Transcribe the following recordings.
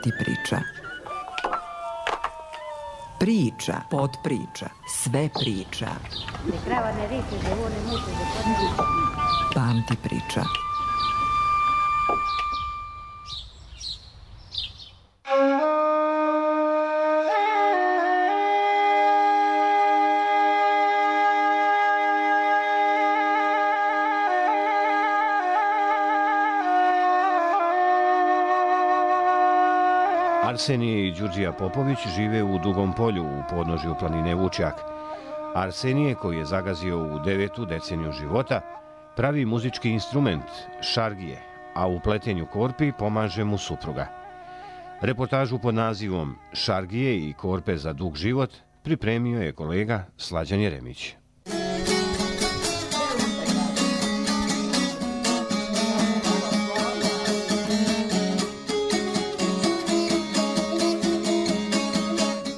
Pamti priča. Priča, potpriča, sve priča. Pamti priča. Arsenije i Đurđija Popović žive u Dugom polju u podnožju planine Vučjak. Arsenije, koji je zagazio u 9. deceniju života, pravi muzički instrument, šargije, a u pletenju korpi pomaže mu supruga. Reportažu pod nazivom Šargije i korpe za dug život pripremio je kolega Slađan Jeremić.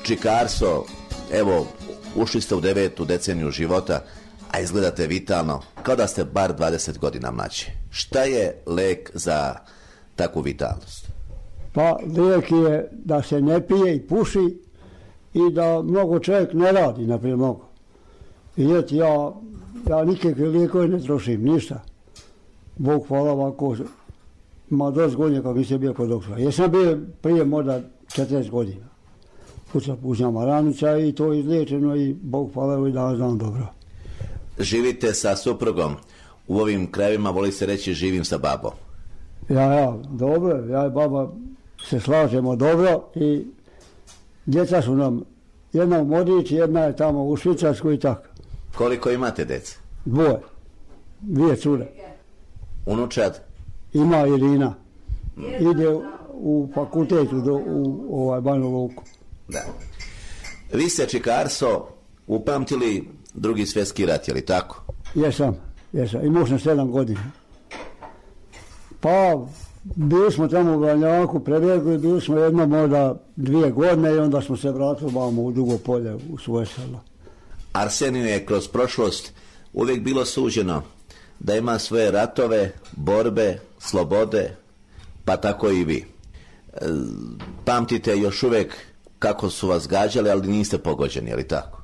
Čikarso, evo, ušli ste u 9. deceniju života, a izgledate vitalno, kao da ste bar 20 godina mlađi. Šta je lek za takvu vitalnost? Pa lijek je da se ne pije i puši i da mnogo čovjek ne radi, naprijed mnogo. Vidjeti, ja nikakve lijekove ne trošim, ništa. Bog hvala ovako, ima dosta godina kako nisam bio kod doktora. Jesam bio prije možda 40 godina. Pucam Maranića i to je izliječeno i Bog hvala i da znam dobro. Živite sa suprugom. U ovim krajevima voli se reći živim sa babom. Ja, dobro. Ja i baba se slažemo dobro i djeca su nam, jedna u Modići, jedna je tamo u Švicarsku i tako. Koliko imate djece? Dvije cure. Unučad? Ima Irina. Ide u fakultetu u Banja Luku. Da. Vi ste, Čikarso, upamtili Drugi svjetski rat, je li tako? Jesam. Imao sam 7 godina. Pa, bili smo tamo u Banjaku, prebjegli, bili smo jedno možda 2 godine i onda smo se vratili vamo u Dugo polje, u svoje selo. Arseniju je kroz prošlost uvijek bilo suđeno da ima svoje ratove, borbe, slobode, pa tako i vi. Pamtite još uvijek kako su vas gađali, ali niste pogođeni, je li tako?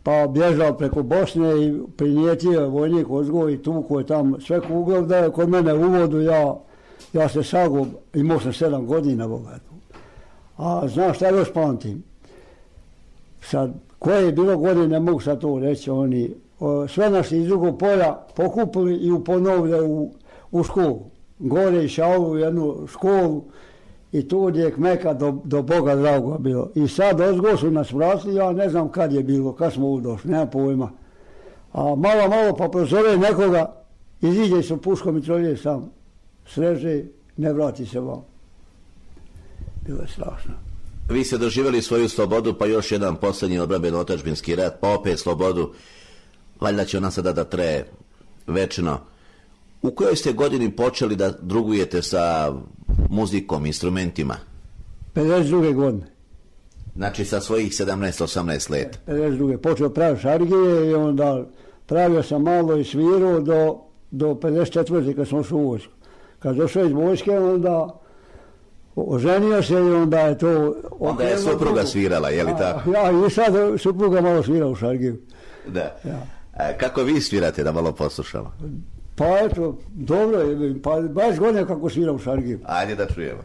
Pa bježao preko Bosne i prinijetio vojnik Ozgoj i tuko je tam sve kuglov da je kod mene u uvodu, ja se sagub, imao sam 7 godina bogatu. A znaš šta još pamtim? Sad, koje je bilo godine, ne mogu sad to reći, oni sve nas iz Drugog polja pokupili i ponovili u školu. Gore išao u jednu školu i tu gdje je Kmeka do Boga dragoga bilo. I sad ozgo su nas vratili, ja ne znam kad je bilo, kad smo udošli, nema pojma. A malo pa prozove nekoga, iziđe sa puškom i trolje sam, sreže, ne vrati se vam. Bilo je strašno. Vi ste doživjeli svoju slobodu, pa još jedan posljednji obrambeno otadžbinski rat, pa opet slobodu. Valjda će ona sada da traje večno. U kojoj ste godini počeli da drugujete sa muzikom, instrumentima? 52. godine. Znači sa svojih 17-18 let. 52. Počeo praviti šargije i onda pravio sam malo i svirao do 54. kad sam ušao u vojsku. Kad došao iz vojske, onda oženio se i onda je to... Onda je supruga svirala, je li tako? Ja, i sad supruga malo svira u šargiju. Da. Ja. Kako vi svirate, da malo poslušamo? Pa eto, dobro je, pa baš godine kako svira u šargiju. Ajde da čujemo.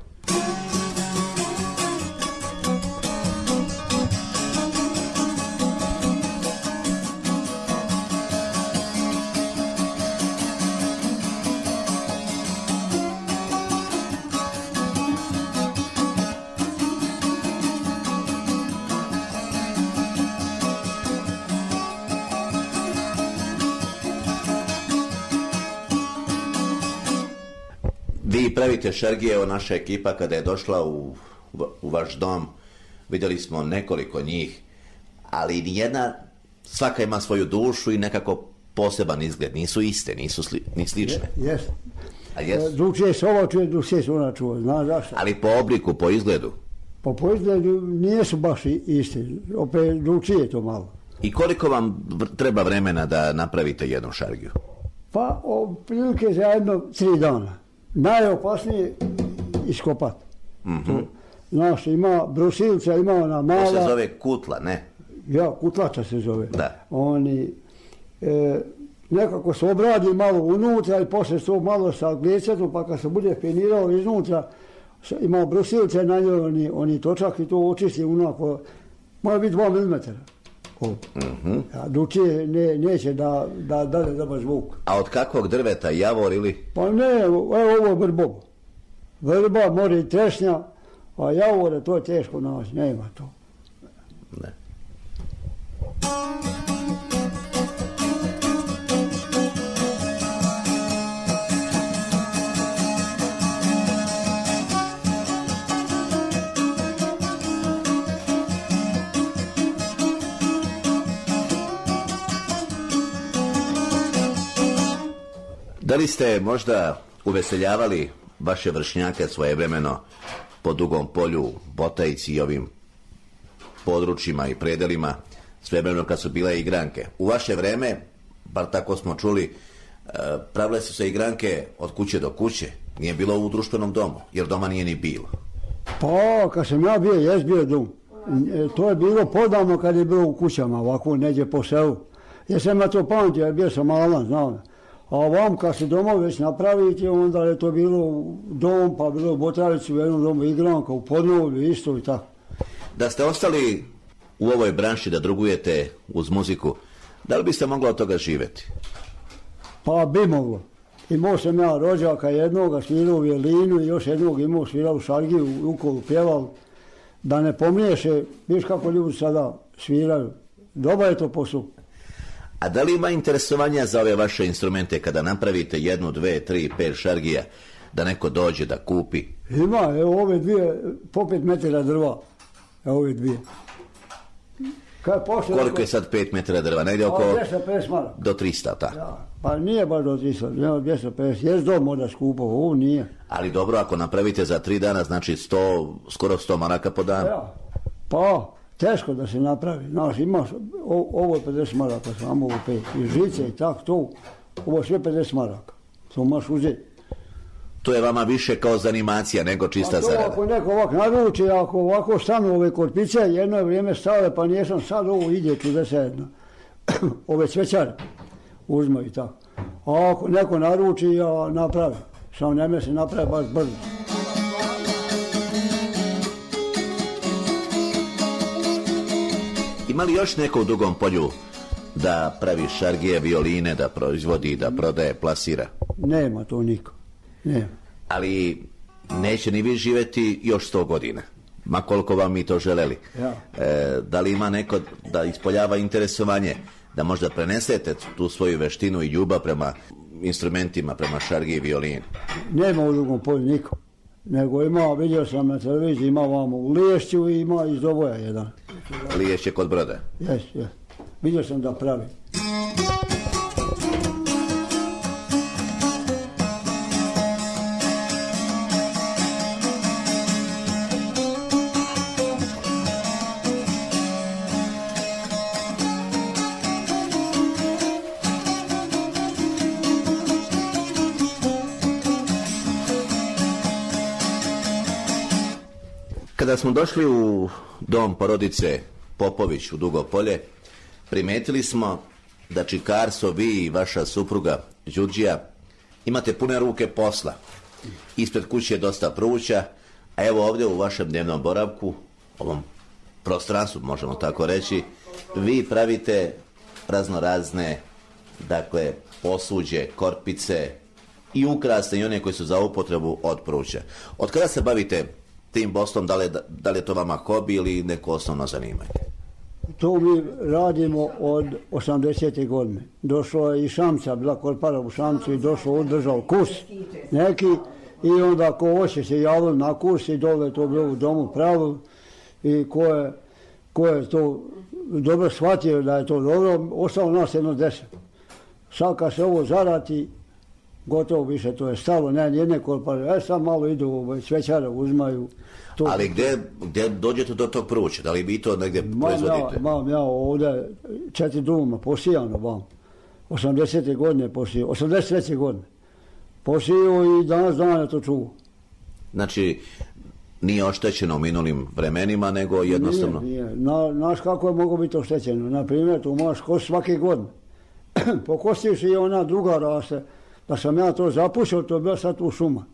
Vi pravite šargije, evo naša ekipa kada je došla u vaš dom, vidjeli smo nekoliko njih, ali nijedna, svaka ima svoju dušu i nekako poseban izgled, nisu iste, nisu ni slične. Jeste. Drugčije se ovo čuje, drugčije se ona čuje, znaš zašto? Ali po obliku, po izgledu? Po izgledu nisu baš iste, opet drugčije je to malo. I koliko vam treba vremena da napravite jednu šargiju? Pa, prilike za 3 dana. Najopasnije iskopati. Znaš, ima brusilca, ima ona mala... To se zove kutla, ne? Ja, kutlača se zove. Da. Oni nekako se obradi malo unutra i poslije to malo sa glecetom, pa kad se bude penirao iznutra, ima brusilce na njoj, oni točak i to očisti onako, mora biti 2 mm. Drugčije neće da dade dobar zvuk. A od kakvog drveta, javor ili? Pa ne, evo ovo je vrbovo. Vrba, more i trešnja, a javore to je teško naći, nema to. Ne. Da li ste možda uveseljavali vaše vršnjake svojevremeno po Dugom polju, Botajici i ovim područjima i predelima, svevremeno kad su bile igranke? U vaše vreme, bar tako smo čuli, pravile su se igranke od kuće do kuće, nije bilo u društvenom domu, jer doma nije ni bilo. Pa, kad sam ja bio, jes bio dom. To je bilo podavno kad je bilo u kućama, ovako neđe po selu. Jer sam ja to pamtio, jer bio sam malan, znam. A vam kad se domovi već napravite, onda je to bilo dom, pa bilo u Botavici, u jednom domu igranka, u Podnovlju isto i tako. Da ste ostali u ovoj branši da drugujete uz muziku, da li biste mogli od toga živjeti? Pa bi moglo. Imao sam ja rođaka jednoga, svirao u violinu i još jednog imao svirao u šargiju, u ukolu pjeval. Da ne pomniješe, viš kako ljudi sada sviraju. Dobar je to posao. A da li ima interesovanja za ove vaše instrumente kada napravite 1, 2, 3, 5 šargija, da neko dođe da kupi? Ima, evo ove dvije, po 5 metara drva. Evo ove dvije. Koliko je sad 5 metara drva? Negdje oko... 250 maraka. Do 300, tako? Ja, pa nije baš do 300, nema 250. Jes dom možda skupo, ovo nije. Ali dobro, ako napravite za 3 dana, znači 100, skoro 100 maraka po danu. Ja, pa... Teško da se napravi, znaš, imaš, ovo je 50 maraka, samo ovo 5, i žice i tako, to, ovo je sve 50 maraka, to možeš uzeti. To je vama više kao zanimacija nego čista zarada. Ako neko ovako naruči, ako ovako stanu ove korpice, jedno je vrijeme stale, pa nijesam sad ovo ide čudesedno, ove cvećare uzme i tako. A ako neko naruči, ja napravi, samo njeme se napravi baš brzo. Ima li još neko u Dugom polju da pravi šargije, violine, da proizvodi, da prodaje, plasira? Nema to niko. Nema. Ali neće ni vi živjeti još 100 godina, ma koliko vam mi to želeli. Ja. Da li ima neko da ispoljava interesovanje, da možda prenesete tu svoju veštinu i ljubav prema instrumentima, prema šargiji i violini? Nema u Dugom polju niko. Nego ima, vidio sam na televiziji, ima vamo u Liješću i ima iz Doboja jedan. Liješće kod Broda? Jes. Vidio sam da pravi. Kada smo došli u dom porodice Popović u Dugo polje, primetili smo da Čikarso, vi i vaša supruga Đurđija imate pune ruke posla. Ispred kuće je dosta pruća, a evo ovdje u vašem dnevnom boravku, ovom prostranstvu možemo tako reći, vi pravite raznorazne, dakle, posuđe, korpice i ukrasne i one koji su za upotrebu od pruća. Od kada se bavite tim poslom, da li je to vama hobi ili neko osnovno zanimanje? To mi radimo od 80. godine. Došlo je i Šamca, bila korpara u Šamcu i došlo, održao kurs neki i onda ko hoće se javili na kurs i dole je to bilo u domu pravil i ko je to dobro shvatio da je to dobro, ostalo nas 10. Sad kad se ovo zarati, gotovo više to je stalo, ne jedne korpare, sad malo idu, svećare uzmaju. To. Ali gdje dođete do tog pruća? Da li vi to negdje proizvodite? Imam ja ovdje 4 duma posijano vam. 80. godine posijao, 83. godine. Posijao i danas dana to čuo. Znači, nije oštećeno u minulim vremenima, nego jednostavno... Nije. Znaš kako je moglo biti oštećeno? Na primjer, tu možeš kost svake godine. Pokostiš i ona druga raste. Da sam ja to zapušao, to je bila sad tu šuma.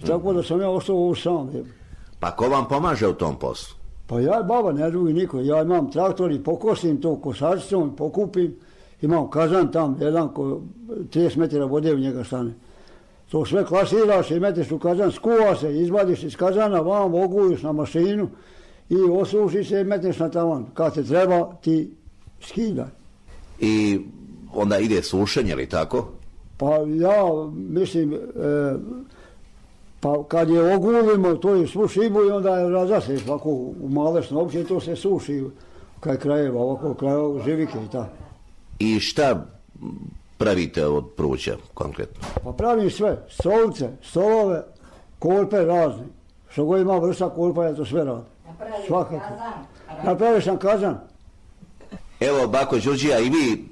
Tako da sam ja ostao u sam. Pa ko vam pomaže u tom poslu? Pa ja i baba, ne drugi niko. Ja imam traktor i pokostim to kosačicom, pokupim. Imam kazan tam, jedan 30 metara vode u njega stane. To sve klasiraš i metiš u kazan, skuva se, izvadiš iz kazana, vam oguliš na mašinu i osuši se i metiš na tavan. Kad te treba, ti skidaj. I onda ide sušenje, ili tako? Pa ja mislim, pa kad je ogulimo, to je svu šibu i onda je razaseš ovako u male snopće i to se suši kaj krajeva, ovako krajeva živike i tako. I šta pravite od pruća konkretno? Pa pravim sve, stolice, stolove, kolpe razne. Što god ima vrsta kolpa, ja to sve radim. Svakako. Napravio sam kazan. Evo, bako Đurđija, i vi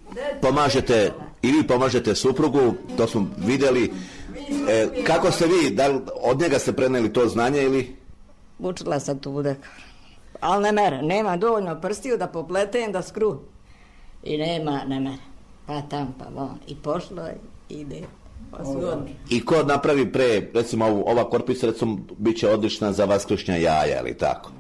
pomažete suprugu, to smo vidjeli. Kako ste vi, da li od njega ste prenijeli to znanje ili? Učila sam tu dekar. Ali ne mere, nema dovoljno prstiju da popletem, da skru. I ne mere. Pa tam, pa von. I pošlo ide. I ko napravi pre, recimo ova korpica, recimo, bit će odlična za vaskršnja jaja, ili tako?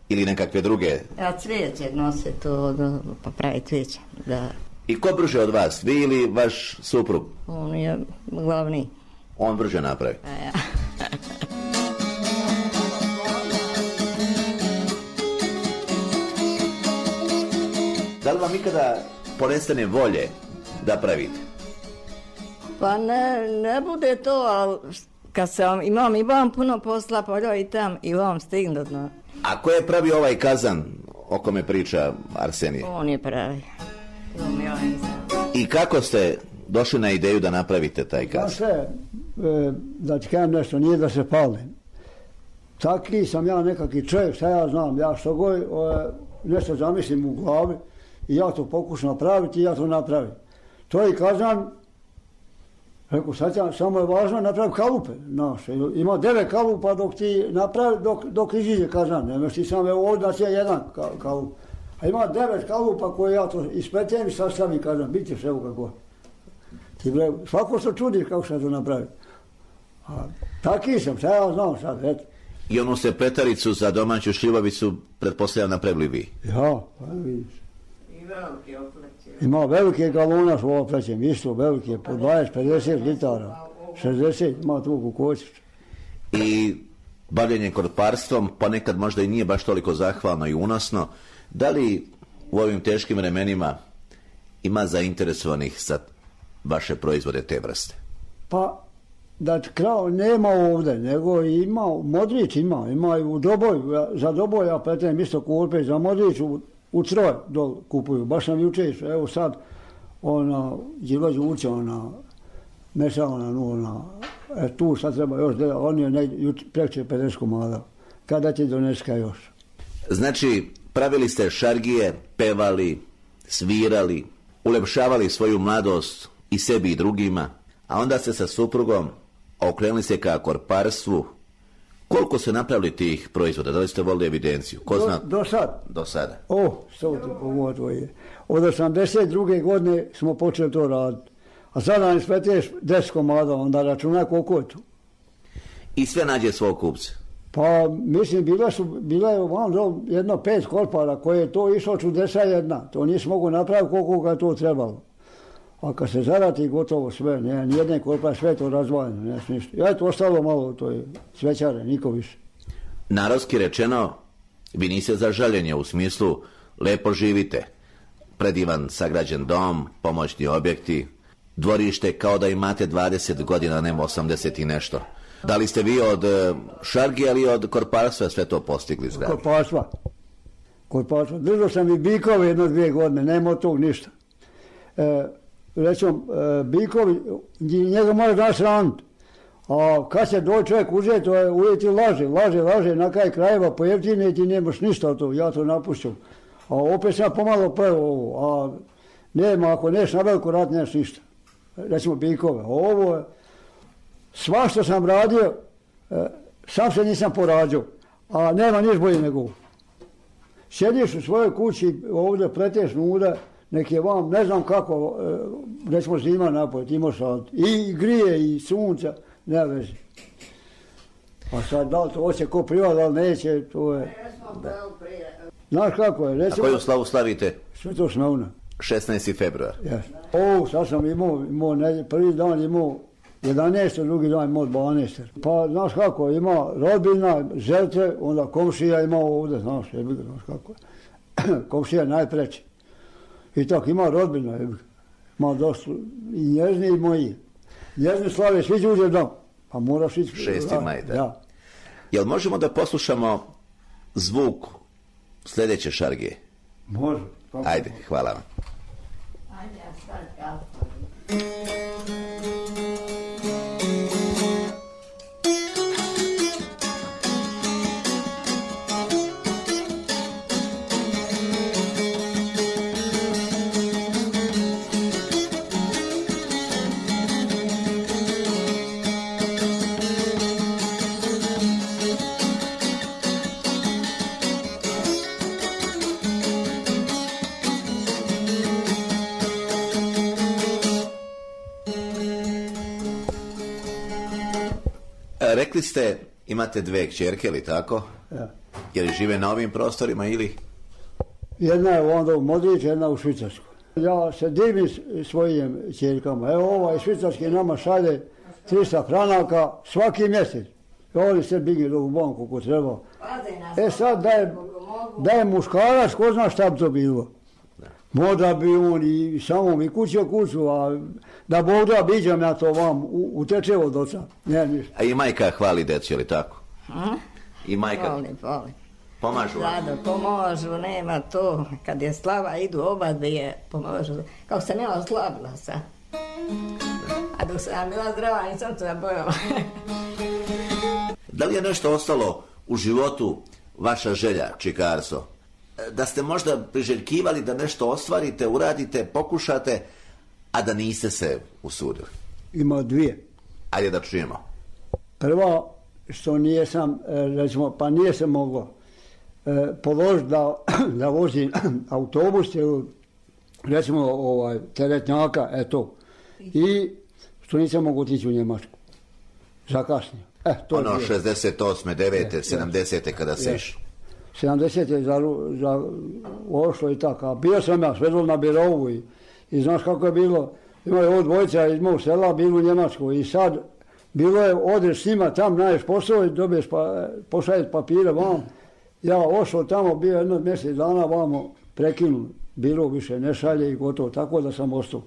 Ili nekakve druge? Ja cvijeće nose to, pa pravi cvijeće, da. I ko brže od vas, vi ili vaš suprug? On je glavni. On brže napravi? A ja. Da li vam ikada ponestane volje da pravite? Pa ne bude to, ali kad sam imam puno posla, pa i tam i vam stignut. A ko je pravi ovaj kazan o kome priča Arsenije? On je pravi. I kako ste došli na ideju da napravite taj kazan? Da ti kažem nešto, nije da se palim. Taki sam ja nekakvi čovjek, šta ja znam, ja što god nešto zamislim u glavi i ja to pokušam napraviti i ja to napravim. To je kazan, rekao, samo je važno napraviti kalupe naše. Ima 9 kalupa dok ti napravi, dok iziđe kazan. Nemaš ti samo ovdje da će jedan kalup. A ima 9 kalupa koje ja to ispetem i sastavim kazan. Bit ćeš evo kako. Svako se čudiš kako se to napravi. Taki sam, šta ja znam sad, eto. I onu se petaricu za domaću šljivovicu pretpostavljam napravili vi? Ja, pa vidiš. Ima velike galona što ovo plećem, isto velike, po 20-50 litara, 60, ima tu kukočić. I bavljenje korparstvom, pa nekad možda i nije baš toliko zahvalno i unosno. Da li u ovim teškim vremenima ima zainteresovanih za vaše proizvode te vrste? Pa, da krao nema ovdje, nego ima, Modrić ima i u Doboju, za Doboj ja pletem isto kolpe, za Modrić u Troj dol kupuju, baš sam juče išao, evo sad, Đilo Đurće, mešala tu sad treba još, on je prekće 50 komada, kada ti doneska još? Znači, pravili ste šargije, pevali, svirali, ulepšavali svoju mladost i sebi i drugima, a onda ste sa suprugom okrenuli se ka korparstvu. Koliko ste napravili tih proizvoda? Da li ste volili evidenciju? Ko zna? Do sad. Do sada? Što ti pogotovo je. Od 82. godine smo počeli to raditi. A sada ne spleteš 10 komada, onda računaj koliko je to. I sve nađe svog kupca? Pa, mislim, bila je jedno 5 korpara koje je to išlo čudesa jedna. To nisi mogu napraviti koliko ga je to trebalo. A kad se zarati gotovo sve, nijedne korpare, sve to razvojeno, ne ništa. Ja je to ostalo malo, to je svećare, niko više. Narodski rečeno, vi niste za žaljenje u smislu lepo živite. Predivan sagrađen dom, pomoćni objekti, dvorište kao da imate 20 godina, nema 80 i nešto. Da li ste vi od šargije ili od korparstva sve to postigli zgrade? Korparstva. Držao sam i bikove 1-2 godine, nema od tog ništa. Recimo, bikovi, njega može danas raniti. A kad se dođe čovjek uzeti, to je uvijek ti laže, na kraj krajeva pojeftine i ti nemaš ništa od toga, ja to napušćam. A opet sam pomalo prvo ovo, a nema, ako neš na veliko rad, neš ništa. Recimo bikove, ovo je, sva što sam radio, sam se nisam porađao, a nema niš bolje nego ovo. Sjediš u svojoj kući, ovdje pleteš nude, nek je vam, ne znam kako, recimo zima napojiti, imaš i grije i sunca, nema veze. A sad, da li to hoće ko privat, da li neće, to je... Znaš kako je, recimo... A koju slavu slavite? Sveto Smevna. 16. februar. Ovo, sad sam imao prvi dan imao 11, drugi dan imao 12. Pa, znaš kako, ima rodbina, želite, onda komšija ima ovdje, znaš kako je. Komšija je najpreći. I tako, ima rodbina, ima dosta i nježni i moji. Nježni slave, svi će uđeti dom, pa moraš ići... 6. maj, da. Jel možemo da poslušamo zvuk sljedeće šargije? Može. Ajde, hvala vam. Ajde, ja sad kao. Rekli ste, imate 2 kćerke, ili tako? Ja. Je li žive na ovim prostorima ili? Jedna je onda u Modriću, jedna u Švicarskoj. Ja se divim svojim kćerkama. Evo ovaj švicarski nama šalje 300 franaka svaki mjesec. Oni se bigi u banku ko treba. Sad da je muškarac, ko zna šta bi to bilo. Možda bi on i samom i kuću, a da Bog da biđam ja to vam uteče od oca. Ne, ništa. A i majka hvali decu, ili tako? I majka? Voli. Pomažu vam? Rado, pomožu, nema to. Kad je slava, idu oba dvije, pomožu. Kako sam ja oslabila sad. A dok sam bila zdrava, nisam to bojala. Da li je nešto ostalo u životu vaša želja, Čikarso? Da ste možda priželjkivali da nešto ostvarite, uradite, pokušate, a da niste se usudili? Ima 2. Ajde da čujemo. Prva, što nijesam, recimo, pa nije se moglo položiti da vozim autobus, recimo teretnjaka, eto. I što nisam mogao otići u Njemačku. Zakasnio. Ono 68. 9. 70. kada se išlo. 70 je ošlo i tako. A bio sam ja svedol na birovu i znaš kako je bilo. Imaju ovo dvojica iz mog sela, bilo u Njemačkoj i sad bilo je odeš s njima tam, naješ posao i dobiješ pošaljeti papire vam. Ja ošao tamo, bio jedno mjesec dana vamo prekinu. Biro više ne šalje i gotovo, tako da sam ostao.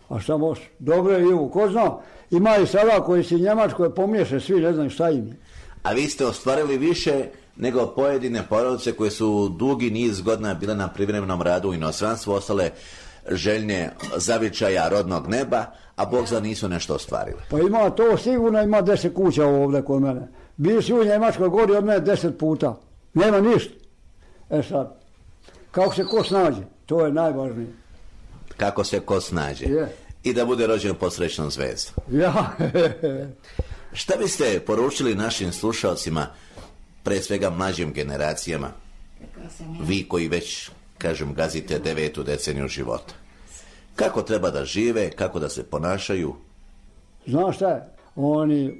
A šta može? Dobro je Ivo, ko zna? Ima i sada koji si Njemačkoj pomiješe, svi ne znam šta im je. A vi ste ostvarili više nego pojedine porodice koje su dugi niz godina bile na privremenom radu u inostranstvu, ostale željne zavičaja rodnog neba, a Bog za nisu nešto ostvarili. Pa ima to sigurno, ima 10 kuća ovdje kod mene. Bili si u Njemačkoj gori od mene 10 puta. Nema ništa. Sad, kako se ko snađe, to je najvažnije. Kako se ko snađe. I da bude rođen pod srećnom zvezdom. Ja. Šta biste poručili našim slušalcima, pre svega mlađim generacijama, vi koji već, kažem, gazite 9. deceniju života? Kako treba da žive, kako da se ponašaju? Znaš šta je?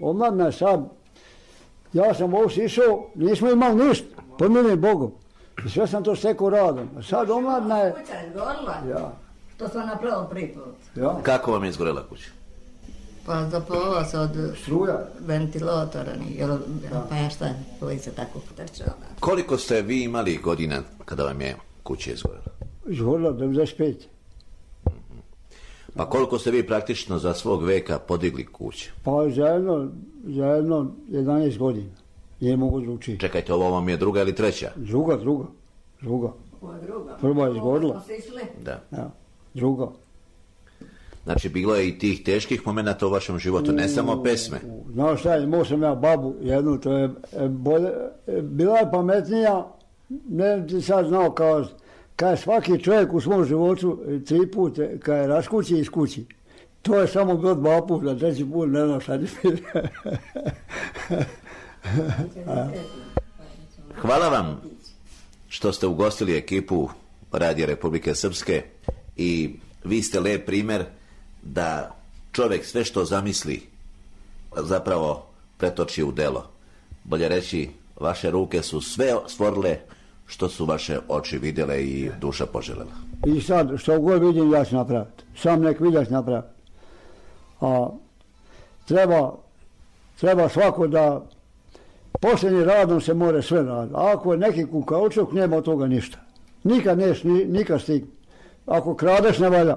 Omladna sad, ja sam ovdje išao, nismo imali ništa, pomilim Bogom. I sve sam to stekao radom. A sad omladna je... Kuća je izgorila. Ja. To sam napravila prvi put. Ja. Kako vam je izgorela kuća? Pa zapalila se od struja, ventilatora, pa ja šta, koji se tako trčala. Koliko ste vi imali godina kada vam je kuća izgorela? Izgorela 95. Pa koliko ste vi praktično za svog veka podigli kuće? Pa za jedno 11 godina. Nije mogu dručiti. Čekajte, ovo vam je druga ili treća? Druga. Prva je izgorila. Da. Ja, druga. Znači, bilo je i tih teških momenata u vašem životu, ne samo pesme. Znaš šta, imao sam ja babu jednu, to je bila je pametnija, ne ti sad znao kao je svaki čovjek u svom životu 3 puta, kao je raskući i iskući. To je samo bilo 2 puta, 3. put ne znam šta ti hvala vam što ste ugostili ekipu Radija Republike Srpske i vi ste lep primer da čovjek sve što zamisli zapravo pretoči u delo. Bolje reći, vaše ruke su sve stvorile što su vaše oči vidjele i duša poželjela. I sad, što god vidim, ja ću napraviti. Sam nek vidiš napraviti. A treba svako da posljednji radom se more sve raditi. A ako je neki kukaučuk, nema od toga ništa. Nikad neš, nikad stigni. Ako kradeš, ne valja.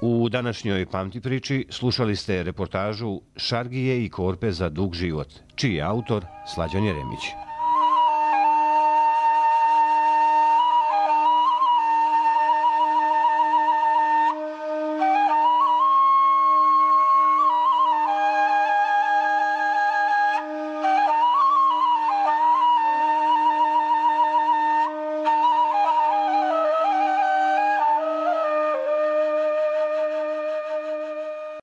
U današnjoj Pamti priči slušali ste reportažu Šargije i korpe za dug život, čiji je autor Slađan Jeremić.